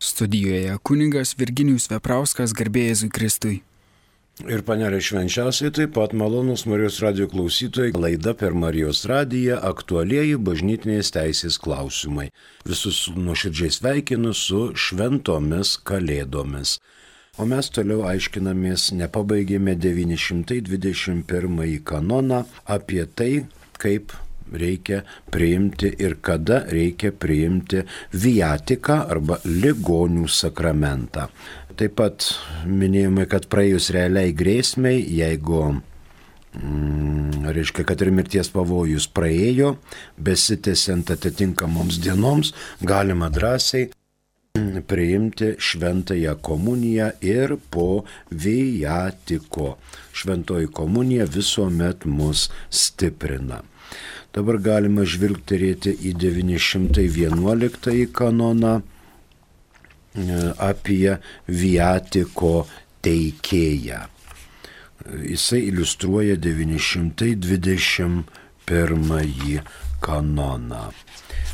Studijoje kunigas Virginijus Veprauskas, garbė Jėzui Kristui. Ir panelė švenčiausiai taip pat malonus Marijos radijo klausytojai, laida per Marijos radiją aktualieji bažnytinės teisės klausimai. Visus nuoširdžiai sveikinu su šventomis kalėdomis. O mes toliau aiškinamės, nepabaigėme 921 kanoną apie tai, kaip reikia priimti ir kada reikia priimti viatiką arba ligonių sakramentą. Taip pat minėjome, kad praėjus realiai grėsmei, jeigu reiškia, kad ir mirties pavojus praėjo, besitęsiant atitinkamoms dienoms, galima drąsiai priimti šventąją komuniją ir po viatiko. Šventoji komunija visuomet mus stiprina. Dabar galima žvilgterėti į 911 kanoną apie viatiko teikėją. Jisai iliustruoja 921 kanoną.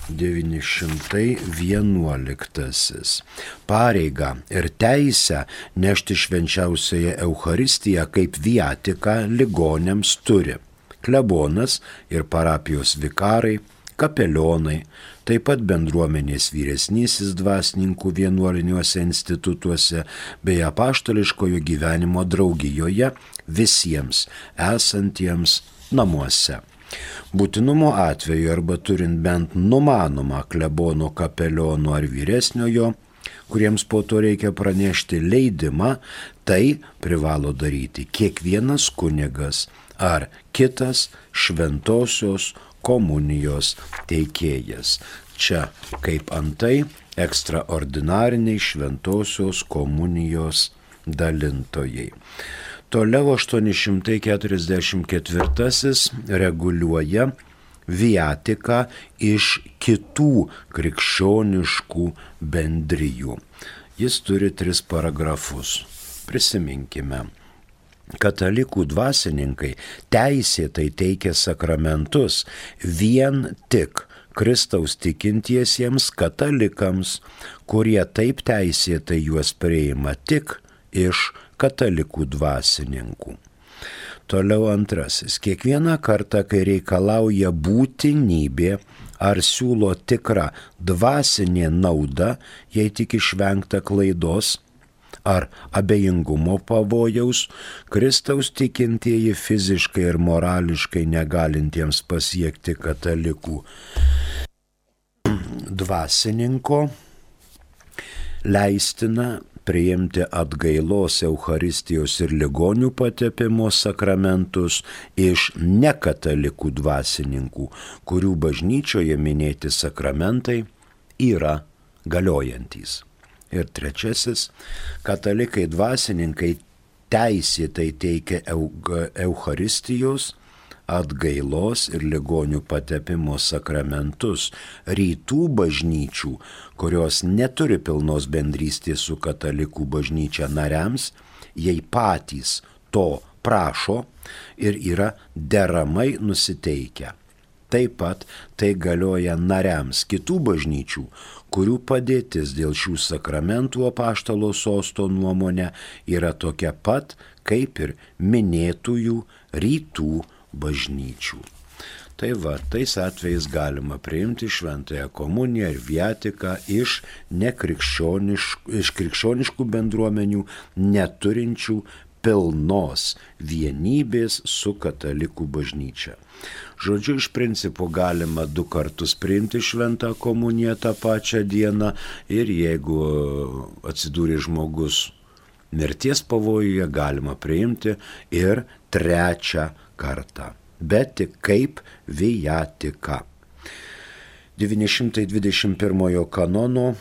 911. Pareigą ir teisę nešti švenčiausiąją Eucharistiją kaip viatiką ligoniams turi klebonas ir parapijos vikarai, kapelionai, taip pat bendruomenės vyresnysis dvasininkų vienuoliniuose institutuose bei apaštališkojo gyvenimo draugijoje visiems esantiems namuose. Būtinumo atveju arba turint bent numanomą klebono, kapeliono ar vyresniojo, kuriems po to reikia pranešti leidimą, tai privalo daryti kiekvienas kunigas ar kitas šventosios komunijos teikėjas. Čia kaip antai ekstraordinariniai šventosios komunijos dalintojai. Toliau 844 reguliuoja viatiką iš kitų krikščioniškų bendrijų. Jis turi 3 paragrafus. Prisiminkime. Katalikų dvasininkai teisėtai teikia sakramentus vien tik Kristaus tikintiesiems katalikams, kurie taip teisėtai juos priima tik iš katalikų dvasininkų. Toliau 2. Kiekvieną kartą, kai reikalauja būtinybė ar siūlo tikrą dvasinė nauda, jei tik išvengta klaidos ar abejingumo pavojaus, Kristaus tikintieji fiziškai ir morališkai negalintiems pasiekti katalikų dvasininko, leistina priimti atgailos, Eucharistijos ir ligonių patepimo sakramentus iš nekatalikų dvasininkų, kurių bažnyčioje minėti sakramentai yra galiojantys. Ir 3. Katalikai dvasininkai teisėtai teikia Eucharistijos, atgailos ir ligonių patepimo sakramentus rytų bažnyčių, kurios neturi pilnos bendrystės su katalikų bažnyčia nariams, jei patys to prašo ir yra deramai nusiteikę. Taip pat tai galioja nariams kitų bažnyčių, kurių padėtis dėl šių sakramentų apaštalo sosto nuomonė yra tokia pat, kaip ir minėtųjų rytų bažnyčių. Tai va, tais atvejais galima priimti šventąją komuniją ir viatiką iš krikščioniškų bendruomenių neturinčių pilnos vienybės su katalikų bažnyčia. Žodžiu, iš principo galima 2 kartus priimti šventą komuniją tą pačią dieną ir jeigu atsidūrė žmogus mirties pavojuje, galima priimti ir 3 kartą, bet tik kaip viatika. 921 kanono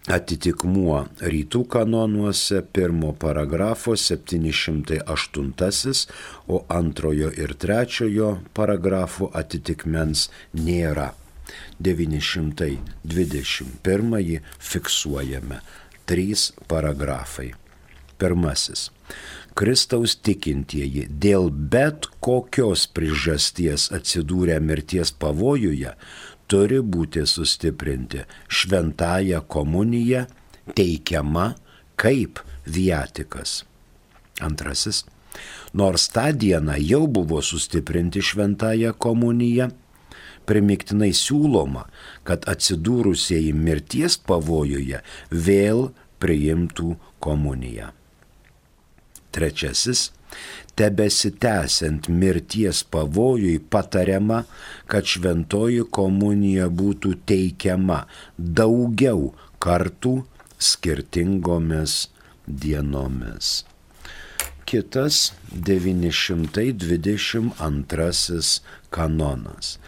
atitikmuo rytų kanonuose 1 paragrafo 708, o 2 ir 3 paragrafų atitikmens nėra. 921 fiksuojame 3 paragrafai. 1. Kristaus tikintieji dėl bet kokios priežasties atsidūrę mirties pavojuje turi būti sustiprinti šventąją komuniją teikiama kaip viatikas. Antrasis, nors tą dieną jau buvo sustiprinti šventąją komuniją, primiktinai siūloma, kad atsidūrusieji mirties pavojuje vėl priimtų komuniją. Trečiasis, tebesitęsiant mirties pavojui patariama, kad šventoji komunija būtų teikiama daugiau kartų skirtingomis dienomis. Kitas 922 kanonas.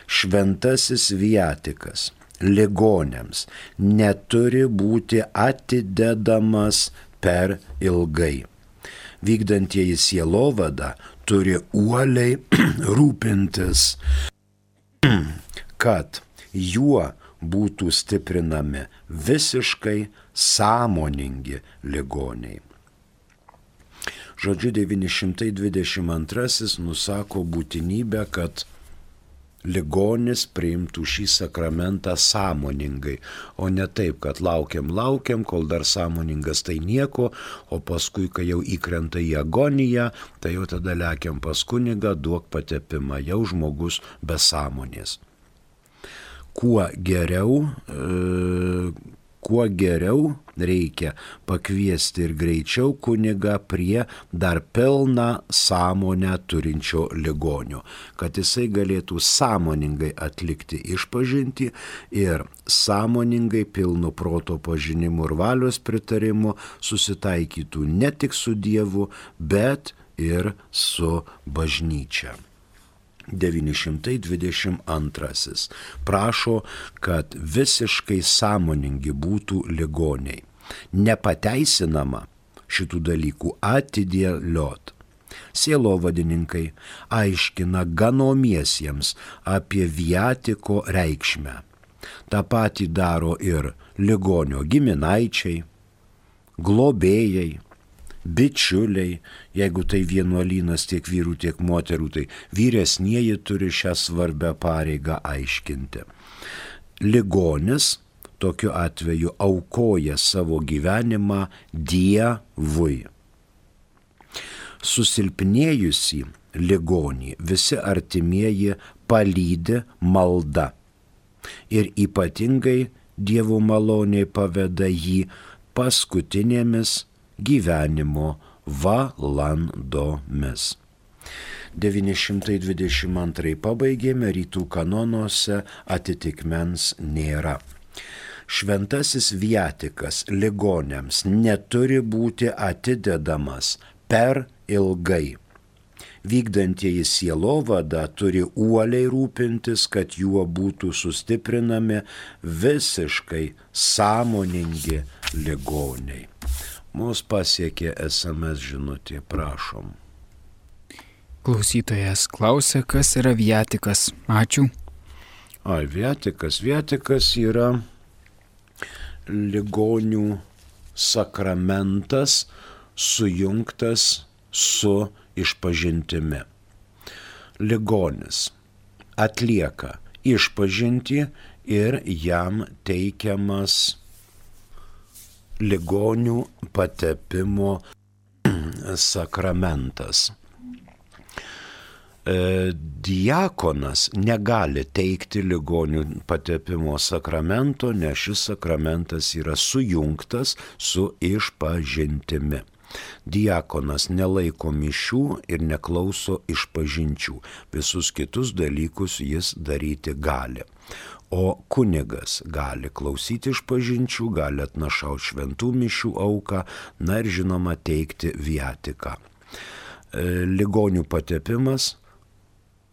Šventasis viatikas ligoniams neturi būti atidedamas per ilgai. Vykdantieji sielovadą turi uoliai rūpintis, kad juo būtų stiprinami visiškai sąmoningi ligoniai. Žodžiu, 922 nusako būtinybę, kad ligonis priimtų šį sakramentą sąmoningai, o ne taip, kad laukiam, kol dar sąmoningas tai nieko, o paskui, kai jau įkrenta į agoniją, tai jau tada lekiam pas kunigą, duok patepimą, jau žmogus be sąmonės. Kuo geriau reikia pakviesti ir greičiau kunigą prie dar pilną sąmonę turinčio ligonio, kad jisai galėtų sąmoningai atlikti išpažintį ir sąmoningai pilnu proto pažinimu ir valios pritarimu susitaikytų ne tik su Dievu, bet ir su bažnyčia. 922 prašo, kad visiškai sąmoningi būtų ligoniai. Nepateisinama šitų dalykų atidėliot. Sielovadininkai aiškina ganomiesiems apie viatiko reikšmę. Ta patį daro ir ligonio giminaičiai, globėjai, bičiuliai, jeigu tai vienuolynas tiek vyrų, tiek moterų, tai vyresnieji turi šią svarbę pareigą aiškinti. Ligonis tokiu atveju aukoja savo gyvenimą Dievui. Susilpnėjusį ligonį visi artimieji palydi malda ir ypatingai Dievo maloniai paveda jį paskutinėmis gyvenimo valandomis. 922 pabaigėme, rytų kanonuose atitikmens nėra. Šventasis viatikas ligoniams neturi būti atidedamas per ilgai. Vykdantieji sielovadą turi uoliai rūpintis, kad juo būtų sustiprinami visiškai sąmoningi ligoniai. Mūsų pasiekė SMS žinutė, prašom. Klausytojas klausia, kas yra viatikas. Ačiū. Viatikas yra ligonių sakramentas sujungtas su išpažintimi. Ligonis atlieka išpažintį ir jam teikiamas ligonių patepimo sakramentas. Diakonas negali teikti ligonių patepimo sakramento, nes šis sakramentas yra sujungtas su išpažintimi. Diakonas nelaiko mišių ir neklauso išpažinčių. Visus kitus dalykus jis daryti gali. O kunigas gali klausyti išpažinčių, gali atnašauti šventų mišių auką, na ir žinoma teikti viatiką. Ligonių patepimas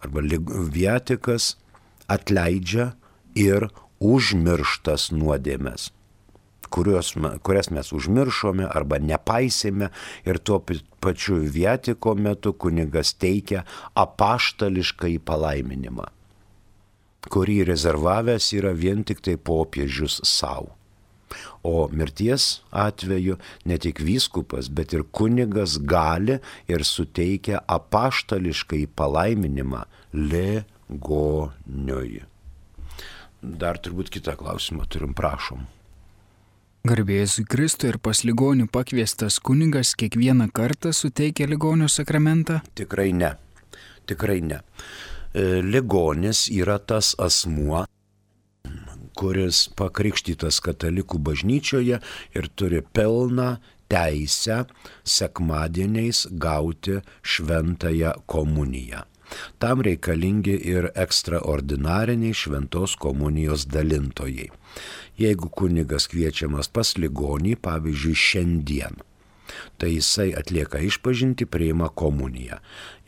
arba viatikas atleidžia ir užmirštas nuodėmes, kurias mes užmiršome arba nepaisėme, ir tuo pačiu viatiko metu kunigas teikia apaštališkąjį palaiminimą, kurį rezervavęs yra vien tik tai popiežius savo. O mirties atveju ne tik vyskupas, bet ir kunigas gali ir suteikia apaštališkąjį palaiminimą ligoniui. Dar turbūt kitą klausimą turim, prašom. Garbė Jėzui Kristui ir pas ligonių pakviestas kunigas kiekvieną kartą suteikia ligonio sakramentą? Tikrai ne. Tikrai ne. Ligonis yra tas asmuo, kuris pakrikštytas katalikų bažnyčioje ir turi pilną teisę sekmadieniais gauti šventąją komuniją. Tam reikalingi ir ekstraordinariniai šventos komunijos dalintojai. Jeigu kunigas kviečiamas pas ligonį, pavyzdžiui, šiandien, tai jisai atlieka išpažintį, priima komuniją.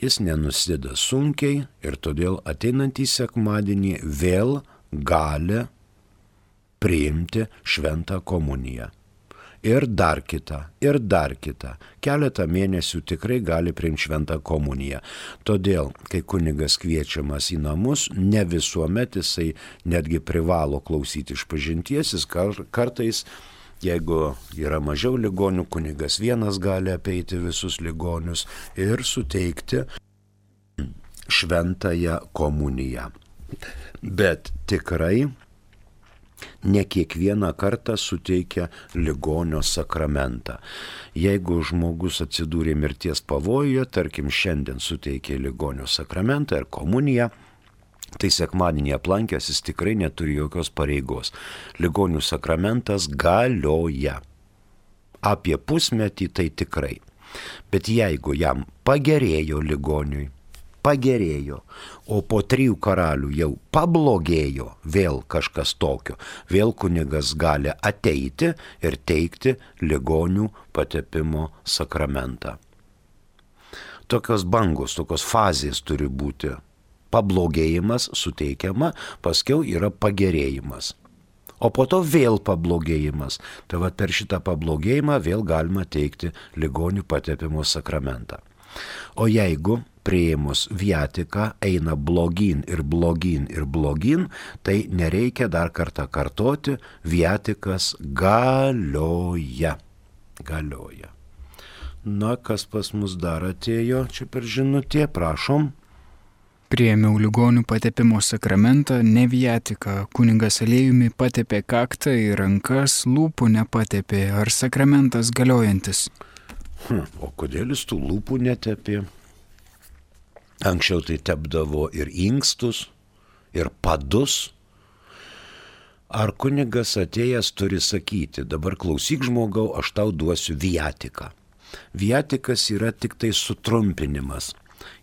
Jis nenusėda sunkiai ir todėl ateinantį sekmadienį vėl gali priimti šventą komuniją. Ir dar kitą. Keletą mėnesių tikrai gali priimti šventą komuniją. Todėl, kai kunigas kviečiamas į namus, ne visuomet jisai netgi privalo klausyti išpažinties, jis kartais, jeigu yra mažiau ligonių, kunigas vienas gali apeiti visus ligonius ir suteikti šventąją komuniją. Bet tikrai ne kiekvieną kartą suteikia ligonio sakramentą. Jeigu žmogus atsidūrė mirties pavojuje, tarkim šiandien suteikė ligonio sakramentą ir komuniją, tai sekmadienį aplankęs jis tikrai neturi jokios pareigos. Ligonių sakramentas galioja. Apie pusmetį tai tikrai. Bet jeigu jam pagerėjo ligoniui, o po 3 karalių jau pablogėjo vėl kažkas tokio, vėl kunigas gali ateiti ir teikti ligonių patepimo sakramentą. Tokios bangos, tokios fazės turi būti. Pablogėjimas suteikiama, paskiau yra pagerėjimas. O po to vėl pablogėjimas. Tai va per šitą pablogėjimą vėl galima teikti ligonių patepimo sakramentą. O jeigu priėmus viatiką eina blogyn, tai nereikia dar kartą kartoti, viatikas galioja. Na, kas pas mus dar atėjo, čia per žinutė, prašom. Priėmiau ligonių patepimo sakramentą, ne viatiką. Kunigas aliejumi patepė kaktą ir rankas, lūpų nepatepė. Ar sakramentas galiojantis? O kodėl jis tų lūpų netepė? Anksčiau tai tepdavo ir inkstus, ir padus. Ar kunigas atėjęs turi sakyti, dabar klausyk žmogau, aš tau duosiu viatiką. Viatikas yra tik tai sutrumpinimas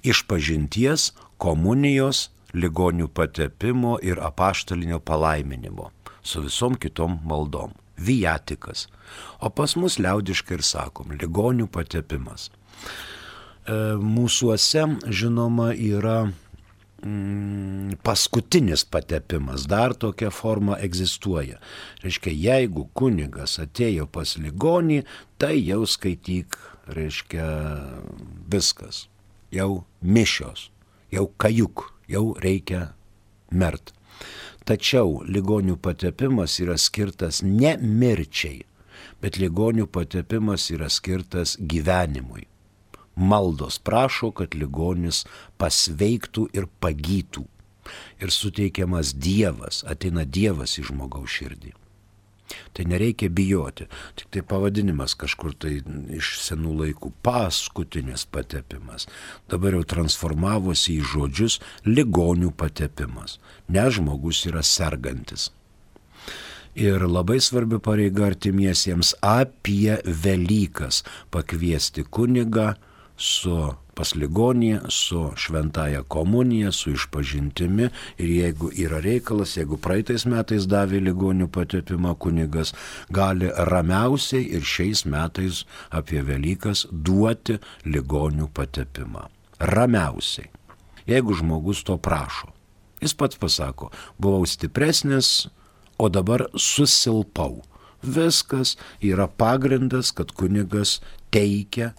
išpažinties, komunijos, ligonių patepimo ir apaštalinio palaiminimo su visom kitom maldom. Viatikas. O pas mus liaudiškai ir sakom, ligonių patepimas. Mūsuose, žinoma, yra paskutinis patepimas, dar tokia forma egzistuoja. Reiškia, jeigu kunigas atėjo pas ligonį, tai jau skaityk, reiškia, viskas. Jau mišios, jau kajuk, jau reikia mert. Tačiau ligonių patepimas yra skirtas ne mirčiai, bet ligonių patepimas yra skirtas gyvenimui. Maldos prašo, kad ligonis pasveiktų ir pagytų. Ir suteikiamas Dievas, ateina Dievas į žmogaus širdį. Tai nereikia bijoti, tik tai pavadinimas kažkur tai iš senų laikų paskutinis patepimas. Dabar jau transformavosi į žodžius ligonių patepimas, nes žmogus yra sergantis. Ir labai svarbi pareiga artimiesiems apie Velykas pakviesti kunigą pas ligonį, su šventąja komunija, su išpažintimi ir jeigu yra reikalas, jeigu praeitais metais davė ligonių patepimą kunigas, gali ramiausiai ir šiais metais apie Velykas duoti ligonių patepimą. Ramiausiai. Jeigu žmogus to prašo. Jis pats pasako, buvau stipresnis, o dabar susilpau. Viskas yra pagrindas, kad kunigas teikia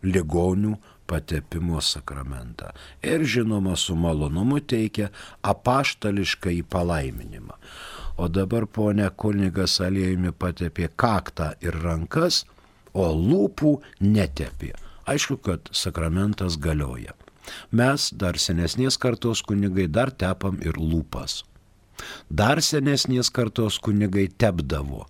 ligonių patepimo sakramentą. Ir žinoma, su malonumu teikia apaštališką į palaiminimą. O dabar ponia kunigas aliejumi patepė kaktą ir rankas, o lūpų netepė. Aišku, kad sakramentas galioja. Mes dar senesnės kartos kunigai dar tepam ir lūpas. Dar senesnės kartos kunigai tepdavo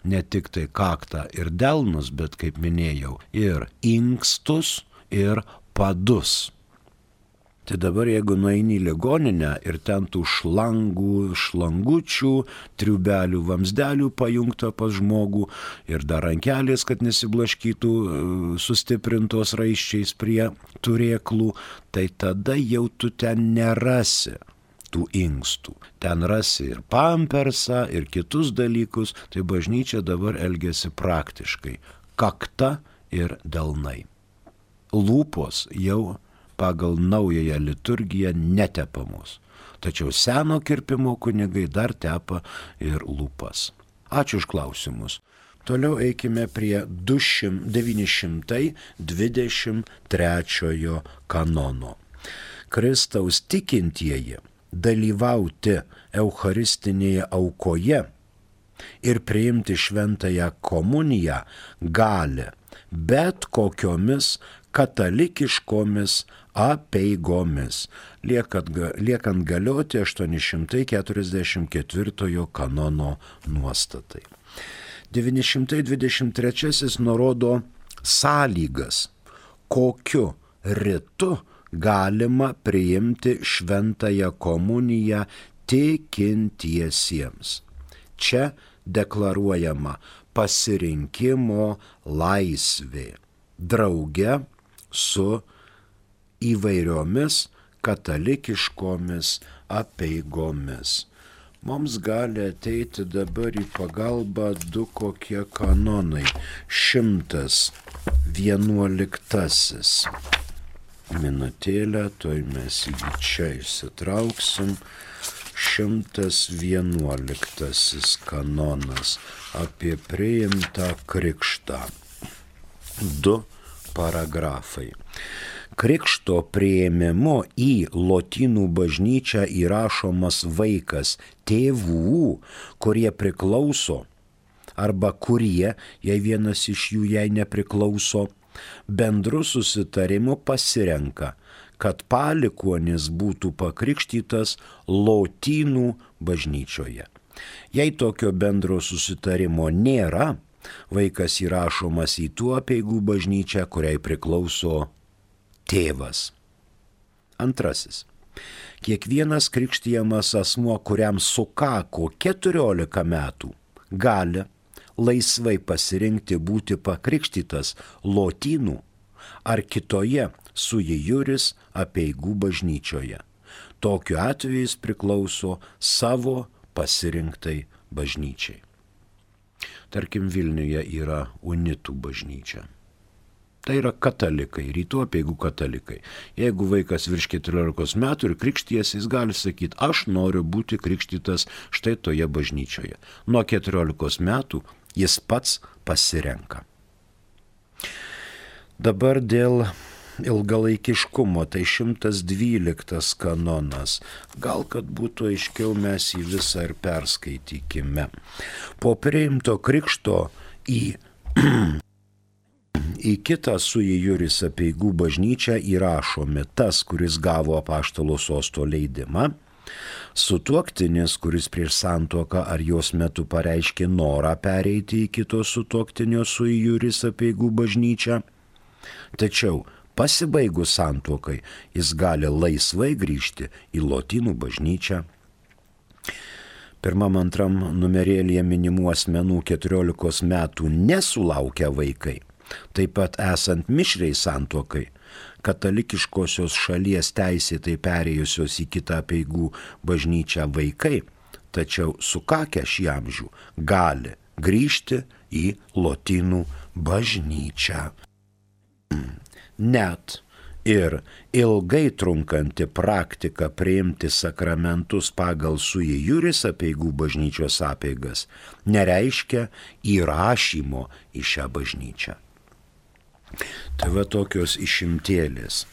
ne tik tai kaktą ir delnus, bet, kaip minėjau, ir inkstus, ir padus. Tai dabar jeigu nueini į ligoninę ir ten tų šlangučių, triubelių, vamsdelių pajungta pas žmogų ir dar rankelės, kad nesiblaškytų sustiprintos raiščiais prie turėklų, tai tada jau tu ten nerasi tų inkstų. Ten rasi ir pampersą, ir kitus dalykus, tai bažnyčia dabar elgiasi praktiškai. Kakta ir delnai. Lūpos jau pagal naująją liturgiją netepamos. Tačiau seno kirpimo kunigai dar tepa ir lūpas. Ačiū už klausimus. Toliau eikime prie 923 kanono. Kristaus tikintieji dalyvauti eucharistinėje aukoje ir priimti šventąją komuniją gali bet kokiomis katalikiškomis apeigomis, liekant galioti 844 kanono nuostatai. 923 nurodo sąlygas, kokiu ritu galima priimti šventąją komuniją tikintiesiems. Čia deklaruojama pasirinkimo laisvė, drauge su įvairiomis katalikiškomis apeigomis. Mums gali ateiti dabar į pagalbą du kokie kanonai. 111. Minutėlę, toj mes jį čia išsitrauksim. 111 kanonas apie priimtą krikštą. 2 paragrafai. Krikšto priėmimo į lotynų bažnyčią įrašomas vaikas tėvų, kurie priklauso, arba kurie, jei vienas iš jų jai nepriklauso, bendru susitarimu pasirenka, kad palikuonis būtų pakrikštytas lotynų bažnyčioje. Jei tokio bendro susitarimo nėra, vaikas įrašomas į tų apeigų bažnyčią, kuriai priklauso tėvas. 2. Kiekvienas krikštijamas asmuo, kuriam sukako 14 metų, gali laisvai pasirinkti būti pakrikštytas lotynų ar kitoje sui juris apeigų bažnyčioje. Tokiu atveju jis priklauso savo pasirinktai bažnyčiai. Tarkim, Vilniuje yra unitų bažnyčia. Tai yra katalikai, rytų apeigų katalikai. Jeigu vaikas virš 14 metų ir krikšties, jis gali sakyti, aš noriu būti krikštytas štai toje bažnyčioje. Nuo 14 metų jis pats pasirenka. Dabar dėl ilgalaikiškumo, tai 112 kanonas. Gal kad būtų aiškiau, mes jį visą ir perskaitykime. Po priimto krikšto į kitą sui juris apeigų bažnyčią įrašomi tas, kuris gavo apaštalo sosto leidimą, sutuoktinis, kuris prieš santuoką ar jos metu pareiškė norą pereiti į kito sutuoktinio sui juris apeigų bažnyčią, tačiau pasibaigus santuokai jis gali laisvai grįžti į lotynų bažnyčią. 1-2 numerėlyje minimų asmenų 14 metų nesulaukia vaikai. Taip pat esant mišriai santuokai, katalikiškosios šalies teisėtai perėjusios į kitą apeigų bažnyčią vaikai, tačiau sukakę šį amžių, gali grįžti į lotynų bažnyčią. Net ir ilgai trunkanti praktika priimti sakramentus pagal sui juris apeigų bažnyčios apeigas nereiškia įrašymo į šią bažnyčią. Tai va tokios išimtėlės.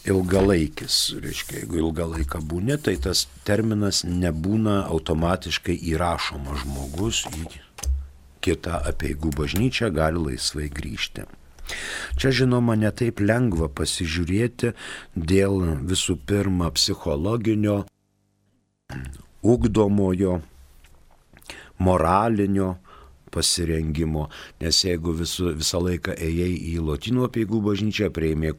Ilgalaikis, reiškia, jeigu ilgą laiką būni, tai tas terminas nebūna automatiškai įrašomas žmogus į kitą apeigų bažnyčią, gali laisvai grįžti. Čia, žinoma, netaip lengva pasižiūrėti dėl visų pirma psichologinio, ugdomojo, moralinio pasirengimo, nes jeigu visą laiką ėjai į Lotynų apeigų bažnyčią, priėmė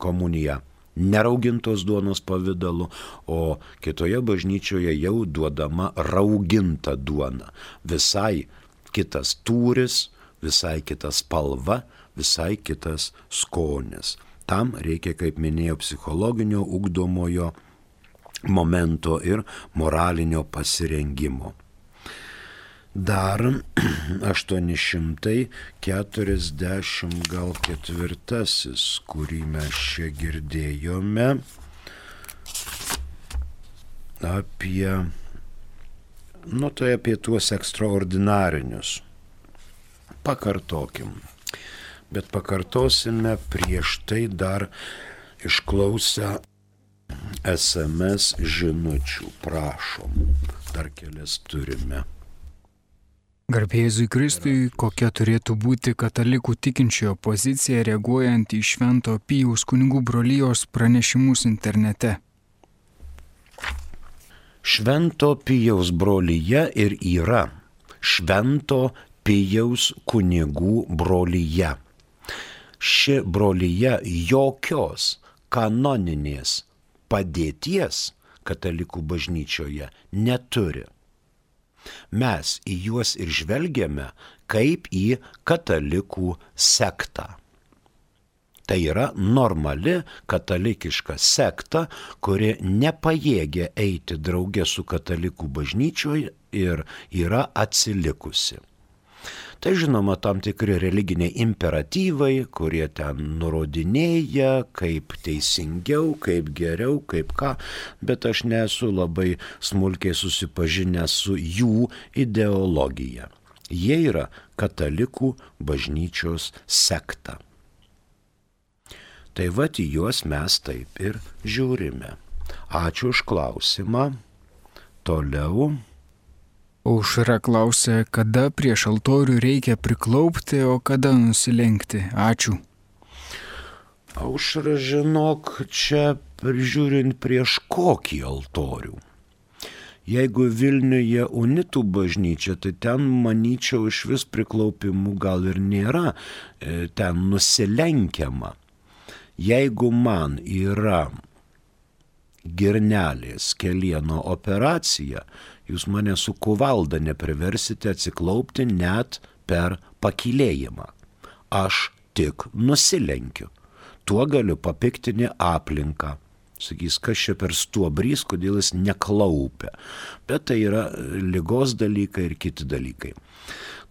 komuniją neraugintos duonos pavidalu, o kitoje bažnyčioje jau duodama rauginta duona. Visai kitas tūris, visai kita spalva, visai kitas skonis. Tam reikia, kaip minėjau, psichologinio, ugdomojo momento ir moralinio pasirengimo. Dar 844, kurį mes čia girdėjome, apie tuos ekstraordinarinius. Pakartokim. Bet pakartosime prieš tai dar išklausę SMS žinučių. Prašom, dar kelias turime. Garbė Jėzui Kristui, kokia turėtų būti katalikų tikinčiojo pozicija reaguojant į Švento Pijaus kunigų brolijos pranešimus internete? Švento Pijaus brolija ir yra Švento Pijaus kunigų brolija. Ši brolija jokios kanoninės padėties katalikų bažnyčioje neturi. Mes į juos ir žvelgiame kaip į katalikų sektą. Tai yra normali katalikiška sekta, kuri nepajėgia eiti drauge su katalikų bažnyčioje ir yra atsilikusi. Tai žinoma tam tikri religiniai imperatyvai, kurie ten nurodinėja, kaip teisingiau, kaip geriau, kaip ką, bet aš nesu labai smulkiai susipažinęs su jų ideologija. Jie yra katalikų bažnyčios sekta. Tai vat į juos mes taip ir žiūrime. Ačiū už klausimą. Toliau. Aušra klausia, kada prieš altorių reikia priklaupti, o kada nusilenkti. Ačiū. Aušra, žinok, čia prižiūrint prieš kokį altorių. Jeigu Vilniuje unitų bažnyčia, tai ten, manyčiau, iš vis priklaupimų gal ir nėra, ten nusilenkiama. Jeigu man yra girnelės kelieno operacija, jūs mane su kuvalda nepriversite atsiklaupti net per pakylėjimą. Aš tik nusilenkiu. Tuo galiu papiktinti aplinką. Sakys, kas čia per stuobrys, kodėl jis neklaupia. Bet tai yra ligos dalykai ir kiti dalykai.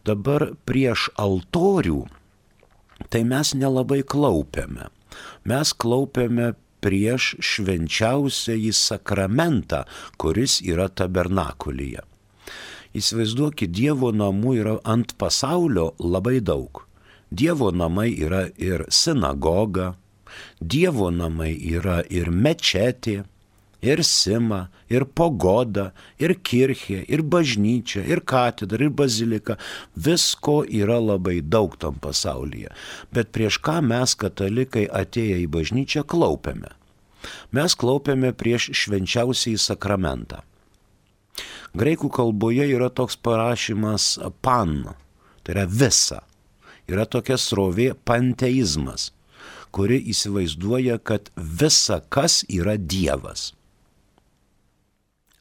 Dabar prieš altorių, tai mes nelabai klaupiame. Mes klaupiame prieš švenčiausiąjį sakramentą, kuris yra tabernakulyje. Įsivaizduokit, Dievo namų yra ant pasaulio labai daug. Dievo namai yra ir sinagoga, Dievo namai yra ir mečetė, ir sima, ir pagoda, ir kirchė, ir bažnyčia, ir katedra, ir bazilika. Visko yra labai daug tam pasaulyje. Bet prieš ką mes, katalikai, atėję į bažnyčią, klaupiame? Mes klaupiame prieš švenčiausiąjį sakramentą. Graikų kalboje yra toks parašymas pan, tai yra visa. Yra tokia srovė panteizmas, kuri įsivaizduoja, kad visa kas yra Dievas.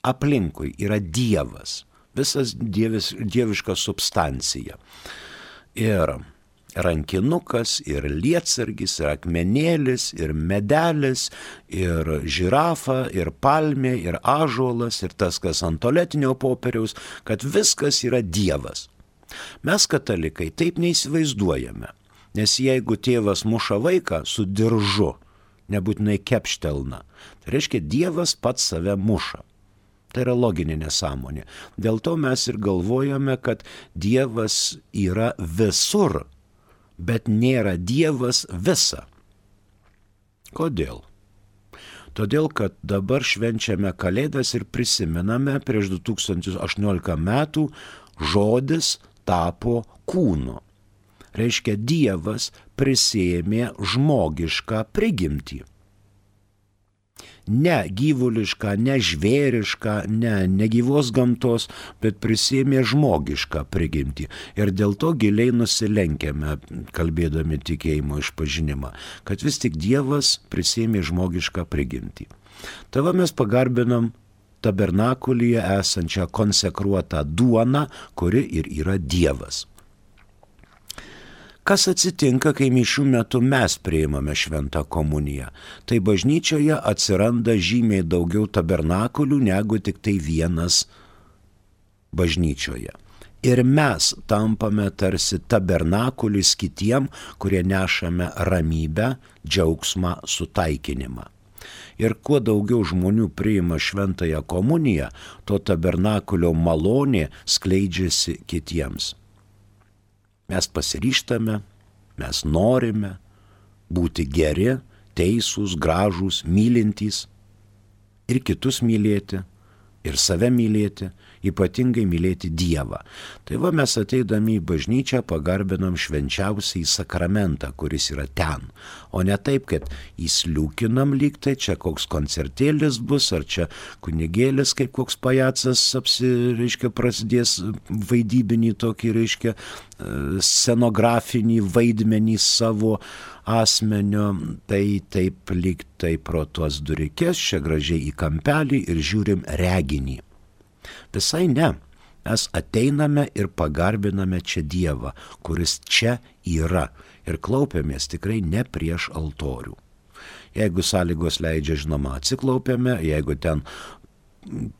Aplinkui yra Dievas, visas dieviška substancija. Ir rankinukas, ir lietsargis, ir akmenėlis, ir medelis, ir žirafa, ir palmė, ir ąžuolas, ir tas, kas ant tualetinio popieriaus, kad viskas yra Dievas. Mes, katalikai, taip neįsivaizduojame, nes jeigu tėvas muša vaiką su diržu, nebūtinai kepštelna, tai reiškia Dievas pats save muša. Tai yra loginė nesąmonė. Dėl to mes ir galvojame, kad Dievas yra visur, bet nėra Dievas visa. Kodėl? Todėl, kad dabar švenčiame Kalėdas ir prisimename prieš 2018 metų žodis tapo kūnu. Reiškia, Dievas prisiėmė žmogišką prigimtį. Ne gyvulišką, ne žvėrišką, ne gyvos gamtos, bet prisėmė žmogišką prigimtį. Ir dėl to giliai nusilenkiame, kalbėdami tikėjimo išpažinimą, kad vis tik Dievas prisėmė žmogišką prigimtį. Tava mes pagarbinam tabernakulyje esančią konsekruotą duoną, kuri ir yra Dievas. Kas atsitinka, kai mišių metu mes priimame šventą komuniją? Tai bažnyčioje atsiranda žymiai daugiau tabernakulių negu tik tai vienas bažnyčioje. Ir mes tampame tarsi tabernakulis kitiem, kurie nešame ramybę, džiaugsmą, sutaikinimą. Ir kuo daugiau žmonių priima šventąją komuniją, to tabernakulio malonė skleidžiasi kitiems. Mes pasiryžtame, mes norime būti geri, teisūs, gražūs, mylintys ir kitus mylėti, ir save mylėti, ypatingai mylėti Dievą. Tai va mes ateidami į bažnyčią pagarbinam švenčiausiai sakramentą, kuris yra ten, o ne taip, kad įsliūkinam lyg tai, čia koks koncertėlis bus, ar čia kunigėlis kaip koks pajacas prasidės vaidybinį tokį, scenografinį vaidmenį savo asmenio, tai taip lyg tai pro tuos durikės, čia gražiai į kampelį ir žiūrim reginį. Visai ne, mes ateiname ir pagarbiname čia Dievą, kuris čia yra, ir klaupiamės tikrai ne prieš altorių. Jeigu sąlygos leidžia, žinoma, atsiklaupiame, jeigu ten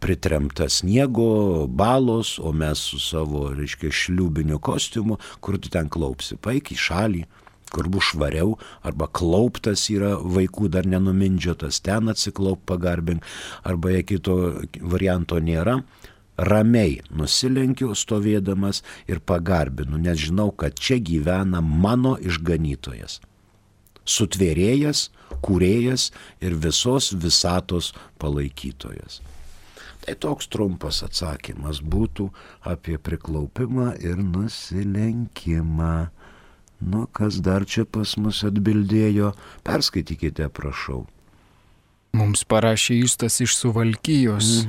pritremta sniego, balos, o mes su savo, šliūbiniu kostiumu, kur tu ten klaupsi, paik į šalį, kur bus švariau, arba klauptas yra vaikų dar nenumindžiotas, ten atsiklaup pagarbink, arba jei kito varianto nėra, ramiai nusilenkiu stovėdamas ir pagarbinu, nes žinau, kad čia gyvena mano išganytojas, sutvėrėjas, kūrėjas ir visos visatos palaikytojas. Tai toks trumpas atsakymas būtų apie priklaupimą ir nusilenkimą. Nu, kas dar čia pas mus atbildėjo? Perskaitykite, prašau. Mums parašė Justas iš Suvalkijos.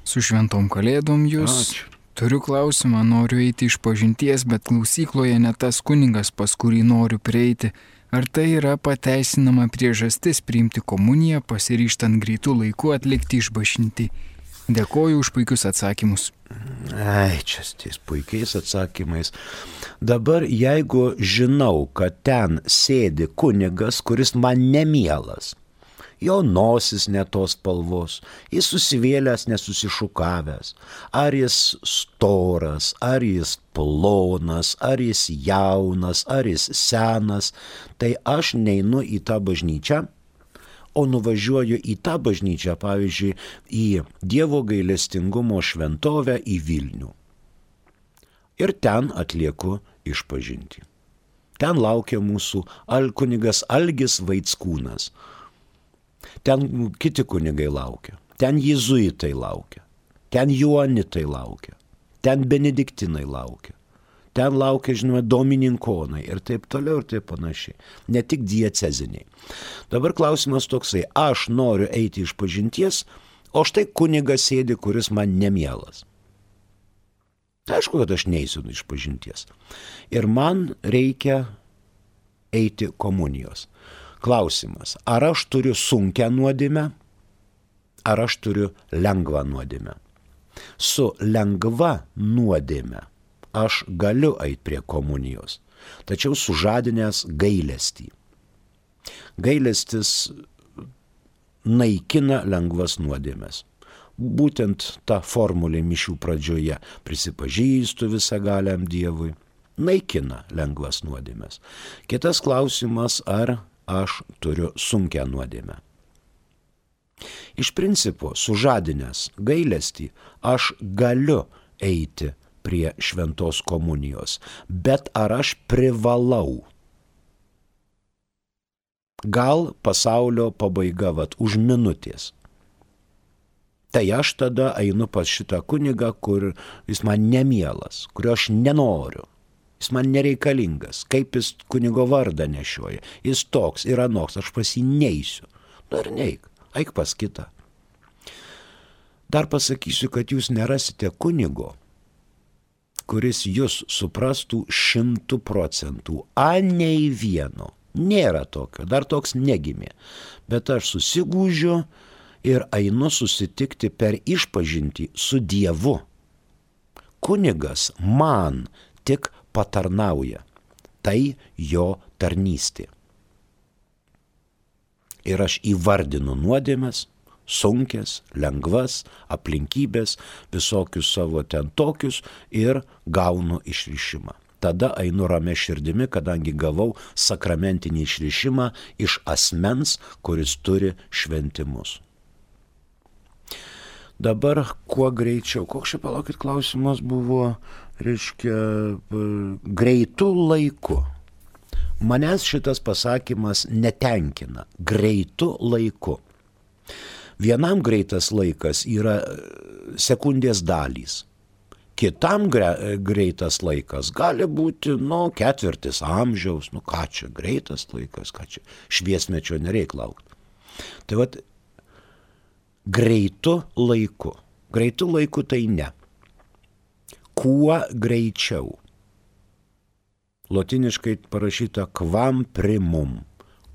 Su šventom kalėdom jūs. Ačiū. Turiu klausimą, noriu eiti iš pažinties, bet klausykloje ne tas kunigas, pas kurį noriu prieiti. Ar tai yra pateisinama priežastis priimti komuniją, pasiryžtant greitų laikų atlikti išpažintį? Dėkoju už puikius atsakymus. Čia ties puikiais atsakymais. Dabar jeigu žinau, kad ten sėdi kunigas, kuris man nemielas, jo nosis ne tos spalvos, jis susivėlęs, nesusišukavęs, ar jis storas, ar jis plonas, ar jis jaunas, ar jis senas, tai aš neinu į tą bažnyčią, o nuvažiuoju į tą bažnyčią, pavyzdžiui, į Dievo gailestingumo šventovę į Vilnių. Ir ten atlieku išpažintį. Ten laukia mūsų kunigas Algis Vaickūnas. Ten kiti kunigai laukia. Ten jėzuitai laukia. Ten joanitai laukia. Ten benediktinai laukia. Ten laukia, žinoma, domininkonai ir taip toliau ir taip panašiai. Ne tik dieceziniai. Dabar klausimas toksai, aš noriu eiti iš pažinties, o štai kunigas sėdi, kuris man nemielas. Tai aišku, kad aš neisiu iš pažinties. Ir man reikia eiti komunijos. Klausimas, ar aš turiu sunkią nuodėmę, ar aš turiu lengvą nuodėmę. Su lengva nuodėme aš galiu eiti prie komunijos, tačiau sužadinęs gailestį. Gailestis naikina lengvas nuodėmes. Būtent ta formulė mišių pradžioje prisipažįstu visagaliam Dievui, naikina lengvas nuodėmes. Kitas klausimas, ar aš turiu sunkią nuodėmę. Iš principo, sužadinęs gailestį, aš galiu eiti prie šventos komunijos, bet ar aš privalau? Gal pasaulio pabaiga už minutės. Tai aš tada einu pas šitą kunigą, kur jis man nemielas, kurio aš nenoriu. Jis man nereikalingas, kaip jis kunigo vardą nešioja. Jis toks ir anoks, aš pas jį neisiu. Ir neik. eik pas kitą. Dar pasakysiu, kad jūs nerasite kunigo, kuris jūs suprastų 100%, nei vieno. Nėra tokio, dar toks negimė. Bet aš susigūžiu ir einu susitikti per išpažintį su Dievu. Kunigas man tik patarnauja. Tai jo tarnystė. Ir aš įvardinu nuodėmes, sunkes, lengvas, aplinkybės, visokius savo ten tokius ir gaunu išrišimą. Tada einu ramia širdimi, kadangi gavau sakramentinį išrišimą iš asmens, kuris turi šventimus. Dabar kuo greičiau, koks čia palaukit klausimas buvo, greitu laiku. Manęs šitas pasakymas netenkina, greitu laiku. Vienam greitas laikas yra sekundės dalys. Kitam greitas laikas gali būti, ketvirtis amžiaus, ką čia greitas laikas, ką čia šviesmečio nereik laukti. Tai vat, greitu laiku. Greitu laiku tai ne. Kuo greičiau. Lotiniškai parašyta quam primum.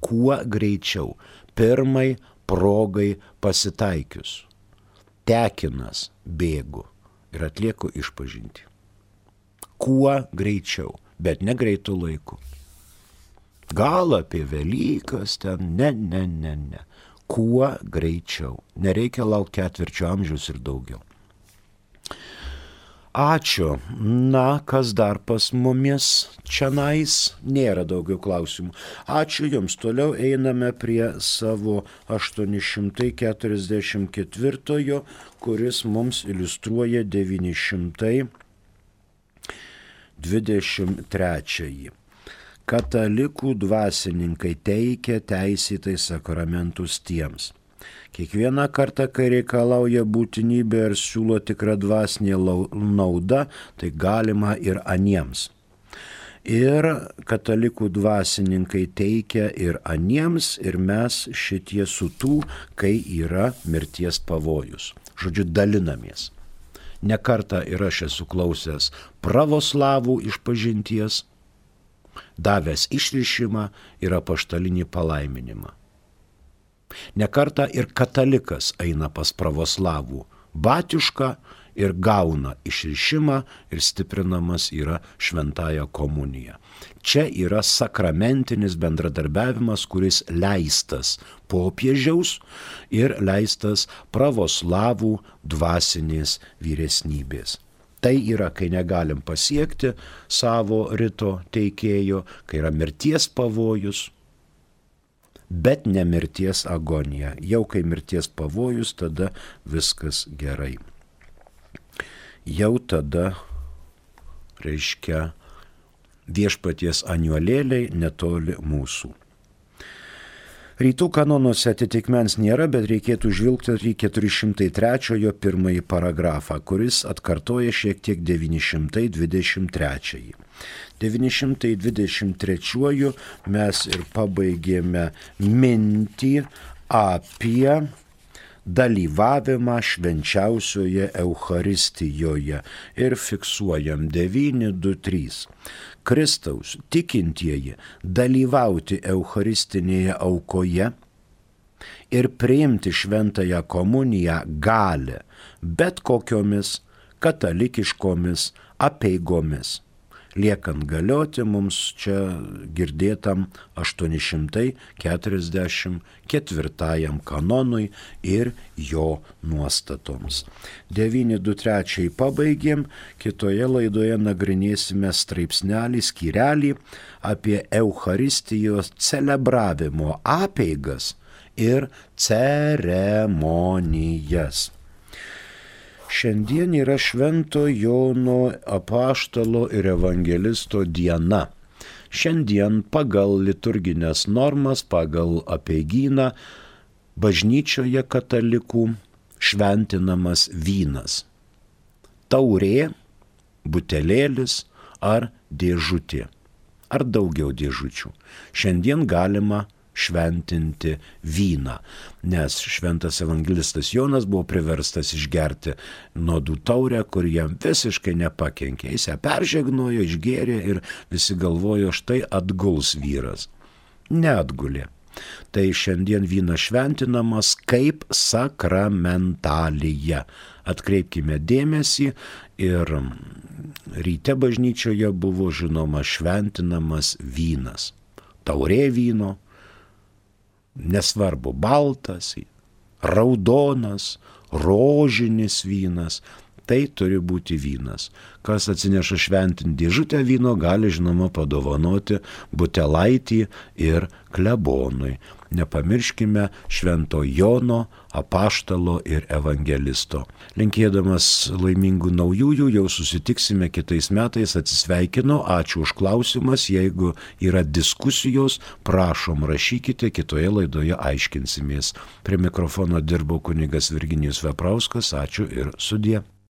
Kuo greičiau. Pirmai progai pasitaikius. Tekinas bėgu ir atlieku išpažintį. Kuo greičiau, bet ne greitų laikų. Gal apie Velykas ten, ne. Kuo greičiau. Nereikia laukti ketvirčio amžiaus ir daugiau. Ačiū. Kas dar pas mumis čionais? Nėra daugiau klausimų. Ačiū Jums. Toliau einame prie savo 844, kuris mums iliustruoja 923. Katalikų dvasininkai teikia teisėtai sakramentus tiems. Kiekvieną kartą, kai reikalauja būtinybė ir siūlo tikrą dvasinę naudą, tai galima ir aniems. Ir katalikų dvasininkai teikia ir aniems, ir mes šitie su tų, kai yra mirties pavojus. Žodžiu, dalinamės. Ne kartą ir aš esu klausęs pravoslavų išpažinties, davęs išrišimą ir apaštalinį palaiminimą. Ne kartą ir katalikas eina pas pravoslavų batiušką ir gauna išrišimą ir stiprinamas yra šventąja komunija. Čia yra sakramentinis bendradarbiavimas, kuris leistas popiežiaus ir leistas pravoslavų dvasinės vyresnybės. Tai yra, kai negalim pasiekti savo rito teikėjo, kai yra mirties pavojus, bet ne mirties agonija. Jau kai mirties pavojus, tada viskas gerai. Jau tada, viešpaties aniuolėliai netoli mūsų. Rytų kanonuose atitikmens nėra, bet reikėtų žvilgti į 403 pirmąjį paragrafą, kuris atkartoja šiek tiek 923. 923 mes ir pabaigėme mintį apie dalyvavimą švenčiausioje Eucharistijoje ir fiksuojam 923. Kristaus tikintieji dalyvauti eucharistinėje aukoje ir priimti šventąją komuniją gali bet kokiomis katalikiškomis apeigomis, liekant galioti mums čia girdėtam 844 kanonui ir jo nuostatoms. 923 pabaigėm, kitoje laidoje nagrinėsime straipsnelį, skyrelį apie Eucharistijos celebravimo apeigas ir ceremonijas. Šiandien yra Švento Jono apaštalo ir evangelisto diena. Šiandien pagal liturginės normas, pagal apeigyną, bažnyčioje katalikų šventinamas vynas. Taurė, butelėlis ar dėžutė. Ar daugiau dėžučių. Šiandien galima šventinti vyną, nes šventas evangelistas Jonas buvo priverstas išgerti nuodų taurę, kur jam visiškai nepakenkė. Jis ją peržegnojo, išgėrė ir visi galvojo, štai atguls vyras. Neatgulė. Tai šiandien vynas šventinamas kaip sakramentalija. Atkreipkime dėmesį, ir ryte bažnyčioje buvo žinoma šventinamas vynas. Taurė vyno, nesvarbu, baltas, raudonas, rožinis vynas, tai turi būti vynas. Kas atsineša šventinti dėžutę vyno, gali žinoma padovanoti butelaitį ir klebonui. Nepamirškime švento Jono, apaštalo ir evangelisto. Linkėdamas laimingų naujųjų, jau susitiksime kitais metais. Atsisveikinu, ačiū už klausimas. Jeigu yra diskusijos, prašom rašykite, kitoje laidoje aiškinsimės. Prie mikrofono dirbo kunigas Virginijus Veprauskas. Ačiū ir sudie.